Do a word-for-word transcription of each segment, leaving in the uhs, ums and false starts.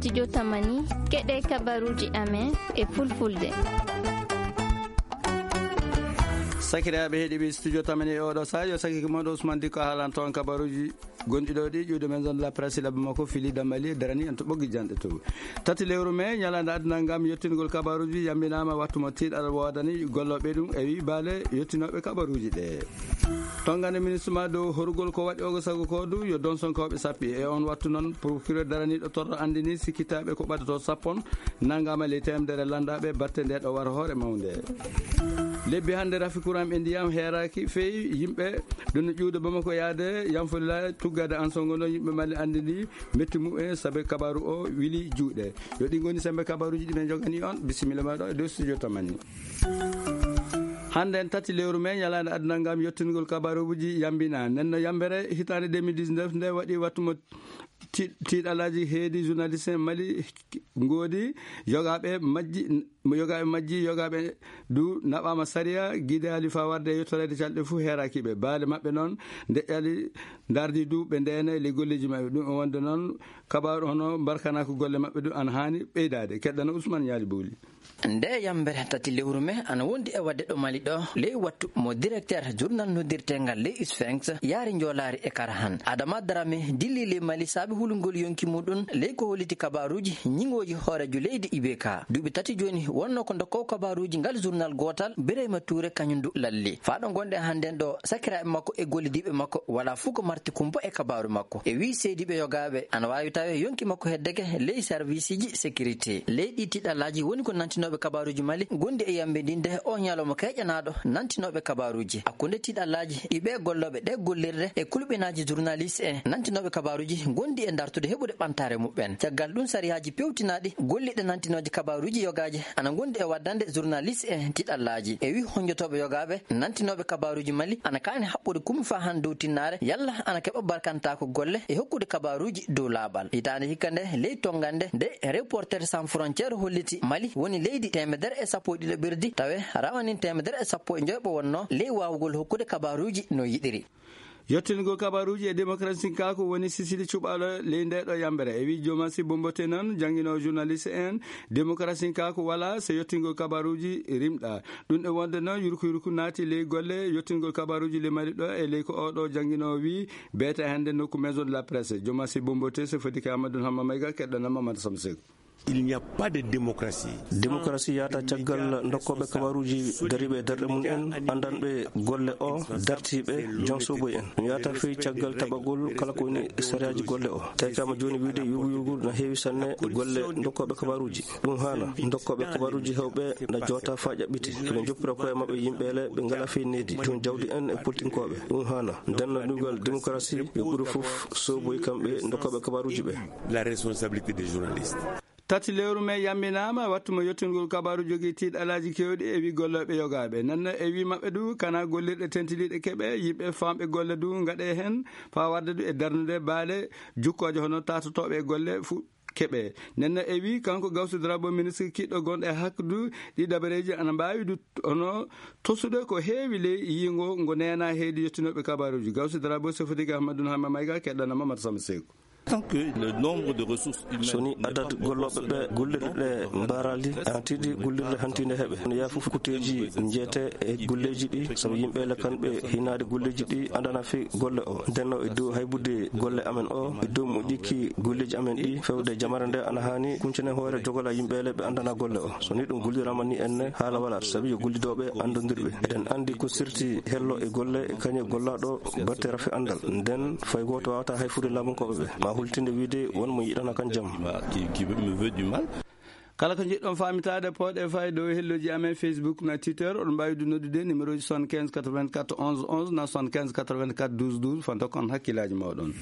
Studio Tamani, keɗe kabaruji amen e fulfulde. Sakiraaɓe heɗiɓe Studio Tamani e oɗo saha, yo sakiki moɗo Ousmane Diko haalan toon kabaruji gonɗi ɗo ɗi ƴuwde men zone de la presse, labbi makko fili dammali e darani en to ɓoggi janɗe to. Tati lewru mai, ñalaande aduna ngam yottingol kabaruji yambinaama, wattu mo tiiɗal woodani gollooɓe ɗum e wi baale yottinooɓe kabaruji ɗe. Tongande ministre ma dow horugol ko waɗi ogo sago ko du yo donsonkooɓe sappi. E on wattu noon, procureur daraniiɗo torro andini sikkitaaɓe ko ɓadato sappon nangama ley temedere landaaɓe batte nde ɗo war hoore mawnde. Lebbi hannde rafi courant e ndiyam heeraaki feewi yimɓe ɗum no ƴuwde Bamako yaade Yanfolila tuggade Ansongo noon yimɓe Mali andini metti mumen sabe kabaru o wili juuɗe. Yo ɗi ngoni sembe kabaruji ɗi men jogani on. Bisimilla ma ɗo e dow Studio Tamani. Hannde en tati lewru mai, ñalaande aduna ngam yottingol kabaruji yambina. Nenno yambere hitaande deux mille dix-neuf nde waɗi wattu mo ti-, tiiɗalaaji heedi journaliste en Mali ngoodi, yogaaɓe majji, mo yogaaɓe majji, yogaaɓe du naɓaama sariya, giidaali faa warde e yottoreede calɗe fuu heeraaki ɓe. Baale maɓɓe noon ndeƴƴali ndardi du ɓe ndeena e ley golleeji maɓɓe. Ɗum e wonde noon kabaaru hono mbarkanaaka golle maɓɓe du ana haani ɓeydaade. Keɗɗano Ousmane Ñaali Bowli. Nde yambere tati lewru mai ana wondi e wadde ɗo Mali ɗo, ley wattu mo directeur journal noddirtengal ley Sphinx yaari njoolaari e Karahan. Adama Darame dilli ley Mali saabi hulugol yonki muɗum ley ko holliti kabaruji ñiŋooji hooreejo leydi I B K. Duuɓi tati jooni wonno ko ndokkowo kabaruji ngal journal gootal, Birayma Tuure, kañum du lalli. Faa ɗo ngonɗen hannden ɗo, sakiraaɓe makko e gollidiiɓe makko walaa fuu ko marti kumpa e kabaru makko. E wii seediiɓe yogaaɓe ana waawi tawe yonki makko heddeke ley serviceji sécurité. Ley ɗi tiiɗalaaji woni ko nantinooɓe kabaruji Mali gondi e yambindinde o ñalawma keƴanaaɗo nantinooɓe kabaruji. Hakkunde tiiɗalaaji ɗi ɓe gollooɓe ɗe gollirɗe e kulɓinaaji journaliste en nantinooɓe kabaruji gondi e dartude heɓude ɓantaare muɓɓen. Caggal ɗum sariyaaji pewtinaaɗi golliɗe nantinooje kabaruji yogaaje ana gondi e waddande journaliste en tiiɗalaaji. E wii honjotooɓe yogaaɓe nantinooɓe kabaruji Mali ana kaani haɓɓude kumi faa han dow tinnaare yalla ana keɓa barkantaako golle e hokkude kabaruji dow laaɓal. Hitaande hikka nde ley tongande nde Reporters Sans Frontières holliti Mali woni leydi teemedere e sappo e ɗiɗo ɓerdi tawe rawanin teemedere e sappo e njoyɓo wonno ley waawugol hokkude kabaruji no yiɗiri. Yottingol kabaruji e démocratie ka ko woni sisili cuɓaalo ley nde ɗo yambere. E wi Jomasi Bombote noon, janngino journaliste en, démocratie ka ko wala so yottingol kabaruji rimɗa. Ɗum e wonde noon, yurku yurku naati ley golle yottingol kabaruji ley Mali ɗo e ley ko oɗo janngino wi beete hannde nokku Maison de la Presse. Jomasi Bombote, so foti ka Amadou Hamma Mayga, keɗɗana Mamadou Samsek. Il n'y a pas de démocratie. Démocratie yahata caggal dokkooɓe kabaruuji dariiɓe e darɗe mum en, anndanɓe golle o, dartiiɓe, jom soboy en. Ɗum yahata fey caggal taɓagol kala ko woni sariyaaji golle o. Tawi kama jooni wiide yurgu yurgu na heewi sanne golle dokkooɓe kabaruuji. Ɗum haana. Dokkooɓe kabaruuji heewɓe na joota faa ƴaɓɓiti. Ɓe njoppira koye maɓɓe yimɓeele ɓe ngalaa fey needi. Joom jawdi en e politinkooɓe. Ɗum haana. Nden no ɗugal démocratie yo ɓuri fof soboy kamɓe dokkooɓe kabaruuji ɓe. La responsabilité des journalistes. Tati lewru mai yamminaama, wattu mo yottingol kabaaru jogii tiiɗalaaji keewɗi e wi gollooɓe yogaaɓe. Nenno e wi maɓɓe du, kana gollirɗe tentiniiɗe keɓe, yimɓe faamɓe golle du ngaɗe heen, faa warde du e darnude baale jukkooje hono taatotooɓe e golle fu-, keɓe. Nenno e wi, kanko Gawsu Darabo, ministre kiɗɗo gonɗo e hakkunde ɗi dabareeji, ana mbaawi du hono tosude ko heewi ley yiingo ngo neena heedi yottinooɓe kabaaruuji. Gawsu Darabo, Sefodike Ahmadu Hama Mayga, keɗɗana Mamadu Samba Seeku. Tant que le nombre de ressources humaines n'est pas proportionnel. So ni adat gollooɓe ɓe gollirɗe mbaaraali, ana tiiɗi gollirde hantiinde heɓe. Ene yaha fof kuteeji njeete e golleeji ɗi, sabu yimɓe le kamɓe hinaade golleeji ɗi, andana fi golle o. Nden no e dow haybude golle amen o, e dow moƴƴiki golleeji amen ɗi, fewde jamare nde ana haani kuncane hoore jogola yimɓe le ɓe andana golle o. So ni ɗum golliraama ni enne, haala walaat, sabu yo gollidooɓe andondirɓe. Eɗen andi ko sirti hello e golle, e kañe gollaaɗo batte rafi andal. Nden fay gooto waawata hay fude laamunkooɓe ɓe. Ma hultinde wiide won mo yiɗana kan jam. Qui, qui me veut du mal. Kala ko njiɗɗon faamitaade, pooɗe fay dow helloji amen Facebook na Twitter. Oɗon mbaawi du noddude numéro ji soixante-quinze quatre-vingt-quatre onze onze na soixante-quinze quatre-vingt-quatre douze douze. Faa ndokkon hakkillaaji mooɗon.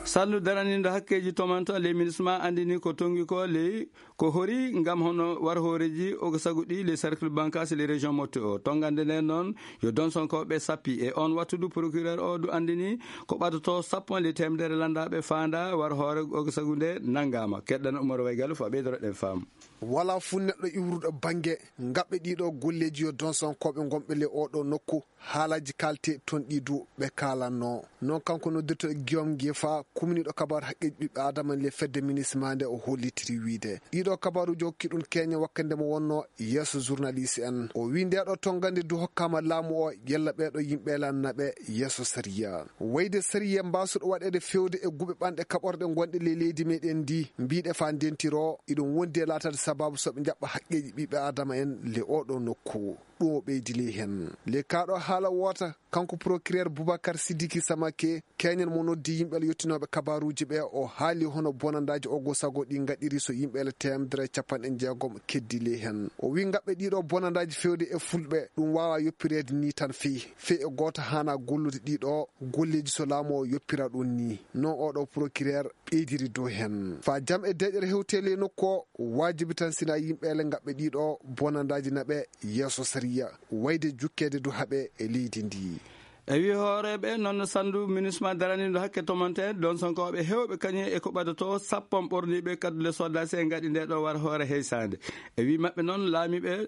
Sallu daraniiɗo hakkeeji tomanto ley MINUSMA andini ko tongi ko ley ko hori ngam hono war hooreeji o ko sago ɗi ley cercle bancaire ley région Mopti o. Tongande nden noon yo donsonkooɓe sappi. E on wattu du procureur o du andini ko ɓadotoo sappo ley teemedere landaaɓe faandaa war hoore o ko sago nde nanngaama. Keɗɗana Umar Waygal faa ɓeydoro ɗen faamu. Walaa fuu neɗɗo iwruɗo bannge ngaɓɓe ɗiɗo golleeji yo donsankooɓe ngonɓe ley oo ɗoo nokku, haalaaji kaalte toon ɗi du ɓe kaalanno. Noon kanko noddirtooɗo Guillaume Ngefa, kumniiɗo kabaaru haqqeeji ɓiɓɓe aadama ley fedde minisma nde o hollitiri wiyde. Ɗiɗo kabaaruuji o hokki ɗum keeñen wakkati nde mo wonnoo yeeso journaliste en. O wiyi nde ɗo tonngande du hokkaama laamu o yalla ɓee ɗo yimɓe lan naɓe yeeso sariya. Wayde sariya mbaasuɗo waɗeede feewde e guɓe ɓanɗe kaɓorɗe ngonɗe ley leydi meɗen ndi, mbiɗe faa ndentiro, iɗum wondi e laataade sabaabu so ɓe njaɓɓa haqqeeji ɓiɓɓe aadama en ley oo ɗoo nokku. Ɗum o ɓeydi ley heen. Ley kaa ɗoo haala woota, kanko procureur Boubacar Sidiki Samake, keeñen mo noddi yimɓe yottinooɓe kabaaruuji ɓe, o haali hono bonandaaji ogo sago ɗi ngaɗiri so yimɓe teemedere e capanɗe jeegom keddi ley heen. O wiyi ngaɓɓe ɗiɗo bonandaaji feewde e fulɓe, ɗum waawaa yoppireede nii tan fii. Fii e gooto haanaa gollude ɗiɗo golleeji so laamu o yoppira ɗum nii. Noon oo ɗoo procureur ɓeydiri dow heen. Faa jam e deeƴere hewtee ley nokku o, waajibi tan sinaa yimɓe ele ngaɓɓe ɗiɗo bonandaaji naɓe yeeso sariya, wayde jukkeede du haɓe e leydi ndi. E wii hooreeɓe noon no sanndu minisma daraniiɗo hakke tomante, donsankooɓe heewɓe kañum e ko ɓadotoo sappon ɓorniiɓe kaddule sodaasi e ngaɗi nde ɗo war hoore heysaande. E wii maɓɓe noon laamiiɓe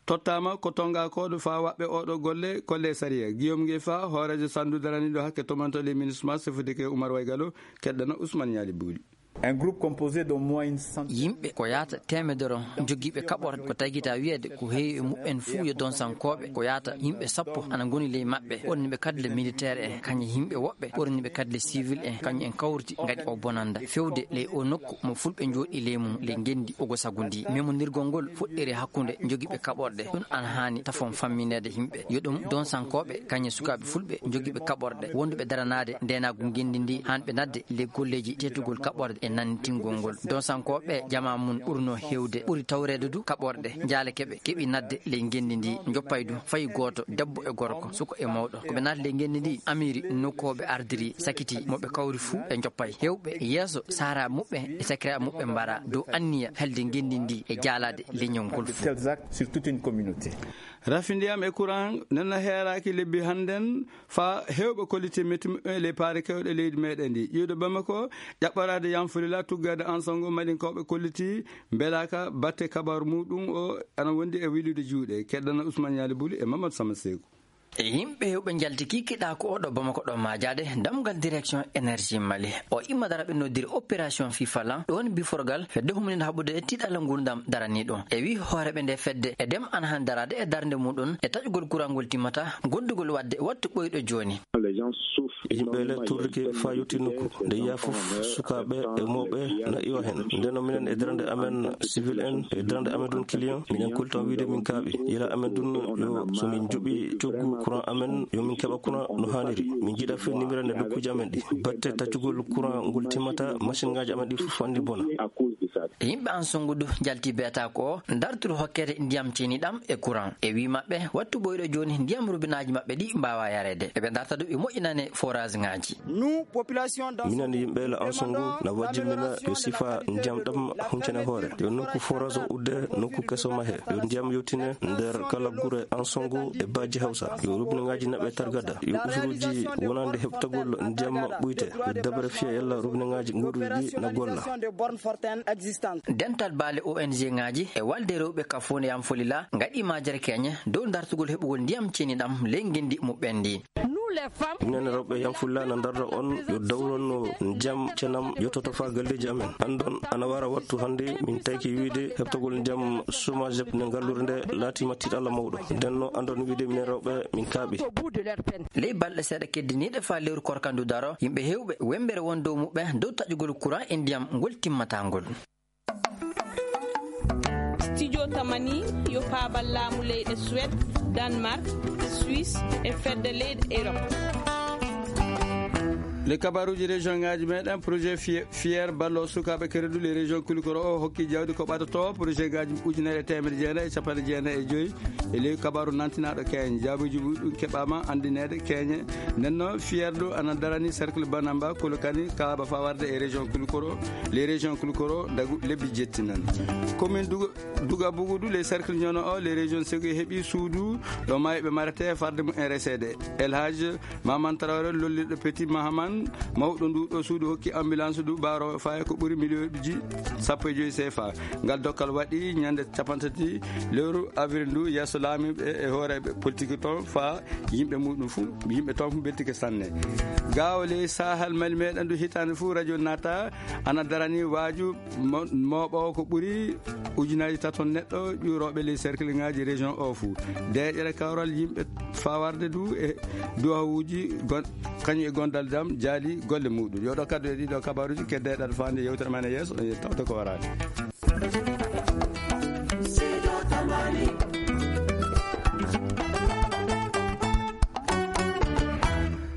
tottaama ko tonga kooɗo faa waɓɓe oo ɗoo golle kolle sariya. Guillaume Ngefa, hooreejo sanndu daraniiɗo hakke tomante ley minisma, sefudike Umar Waygalo, keɗɗana Ousmane Ñaali Buuli. Un groupe composé d'au moins une centaine. Yimɓe ko yaata teemedere on, jogiiɓe kaɓorɗe, ko tagita wiyeede ko heewi e muɓɓen fuu yo donsankooɓe, ko yaata yimɓe sappo ana ngoni ley maɓɓe, ɓorniiɓe kaddule militaire en, kañum yimɓe woɓɓe ɓorniiɓe kaddule civil en, kañum en kawriti ngaɗi o bonanda feewde ley o nokku mo fulɓe njooɗi ley mum ley ngenndi ogo sago ndi. Memondirgol ngol fuɗɗiri hakkunde jogiiɓe kaɓorɗe, ɗum ana haani tafon fammineede yimɓe, yo ɗum donsankooɓe kañum e sukaaɓe fulɓe jogiiɓe kaɓorɗe wonduɓe daranaade ndeenaagu ngenndi ndi, haan ɓe nadde ley golleeji teetugol kaɓorɗe e nantingol ngol. Donsankooɓe jamaa mum ɓurnoo heewde, ɓuri tawreede du kaɓorɗe, jaalake ɓe keɓi nadde ley ngenndi ndi, njoppay du fay gooto, debbo e gorko, suka e mawɗo. Ko ɓe naati ley ngenndi ndi, amiri nokku o ɓe ardiri sakiti, mo ɓe kawri fuu ɓe njoppay. Heewɓe yeeso sahra muɓɓe e sakiraaɓe muɓɓe mbara dow anniya helde ngenndi ndi e jaalaade leñol ngol fuu. Tels actes sur toute une communauté. Rafi ndiyam e courant nana heeraaki lebbi hannden, faa heewɓe kollitii metti muɓɓen e ley paari keewɗe leydi meɗen ndi. Iwde Bamako, ƴaɓɓoraade Yanfolila, tuggaade Ansongo, Malinkooɓe kollitii mbelaaka batte kabaaru muuɗum o ana wondi e wilude juuɗe. Keɗɗana Ousmane Ñaali Buli e Mamadou Sama Seeku. E yimɓe heewɓe njalti kikiɗa ko oɗo Bamako ɗo maajaade damgal direction énergie Mali. O imma dara ɓe noddiri opération Fifalan, ɗoon biforgal fedde humninde haɓude e tiiɗalla nguurndam daraniiɗo. E wii hooreeɓe nde fedde e dem ana han daraade e darnde muuɗum e taƴugol kurangol timmata, gondugol waɗde wattu ɓooyɗo jooni. Yimɓe le turrike faa yotti nokku. Nde yiya fof, sukaaɓe e mawɓe na iwa heen. Ndeno minen e darnde amen, civil en, e darnde amen ɗum client, minen kultan wiide min kaaɓi. Yila amen ɗum yo so min njuɓi coggu courant amen, yo min keɓa courant no haaniri. Min njiɗa fewnimira nde nokkuuji amen ɗi. Batte taccugol courant ngol timmata, machine ngaaji amen ɗi fof anndi bona. Yimɓe Ansongo du njalti beeta ko darturu hokkete ndiyam ceeniɗam e courant. E wii maɓɓe, wattu ɓooyɗo jooni ndiyam rubinaaji maɓɓe ɗi mbaawa yareede. Eɓe darta du ɓe moƴƴinane forage ngaaji. Minen yimɓe la Ansongo na wajjimina yo sifa ndiyam ɗam huncane hoore. Yo nokku forage o udde, nokku keso mahe. Yo ndiyam yewtine nder kala gure Ansongo e Baaji Hawsa. Yo rubinaaji naɓe targada. Yo usuruuji wonande heɓtagol ndiyam ɓuyte. Yo dabre fiya yalla rubinaaji nguurɗi ɗi na golla. Dental baale O N G ngaaji e walde rewɓe ka Fonde Yam Folila ngaɗi majere keñe dow dartugol heɓugol ndiyam ceeniɗam ley ngenndi muɓɓen ndi. Minen rewɓe Yam Folila na darda on yo dawron no ndiyam cenam yottoto faa galleeji amen. Anndon ana wara wattu hannde min tayki wiide heɓtagol ndiyam Somajep nde ngalluure nde laatiima tiiɗalla mawɗo. Nden no anndon wiide minen rewɓe min kaaɓi. Ley balɗe seeɗa keddiniiɗe faa lewru korkandu daro, yimɓe heewɓe wembere won dow muɓɓe dow taƴugol courant e ndiyam ngol timmataa ngol. Studio Tamani yo paabal laamu leyɗe Suède, Danemark, Suisse e fedde leyɗe Europe. Les kabaruuji région ngaaji meɗen, projet Fi-, Fier, ballo sukaaɓe keredu, les régions Kulukoro o hokki jawdi ko ɓadotoo projet ngaaji ujunere e teemedde jeenayi e capanɗe jeenayi e joyi. E ley kabaaru nantinaaɗo keeñe, jaabuuji ɓuri ɗum keɓaama anndineede keeñe. Nden noon, Fierdu ana darani cercle Banamba, Kolokani, Kaaba faa warde e région Kulukoro, les régions Kulukoro, dagu lebbi jetti nan. Commune Duga, Duga Bugudu, les cercles Ñono o, les régions Segu heɓi suudu ɗo maayɓe marete farde mum en reseede. El Hadj Maman Traoré, lollirɗo Petit Mahaman, Mawɗo ndu ɗo suudu hokki ambulance ndu baaro faye ko ɓuri miliyonji sappo e joyi C F A. Ngal dokkal waɗi ñande capantati lewru avril ndu yeeso laamiiɓe e hooreeɓe politique toon fa yimɓe muɗum fu, yimɓe toon fu beltike sanne. Gaawo ley Sahel Mali meɗen ndu hitaande fu radio nata ana darani waaju mo- mooɓoowo ko ɓuri ujunaaji taton neɗɗo ƴuurooɓe ley cercle ŋaaji région o fu. Deeƴere kawral yimɓe fawarde du e duwawuuji gon- kañum e gondal jam jaali golle muɗum. Yo ɗo kaddu e ɗiɗo kabaruuji kedde ɗaɗa faande yewtere men e yeeso, e tawde ko waraani.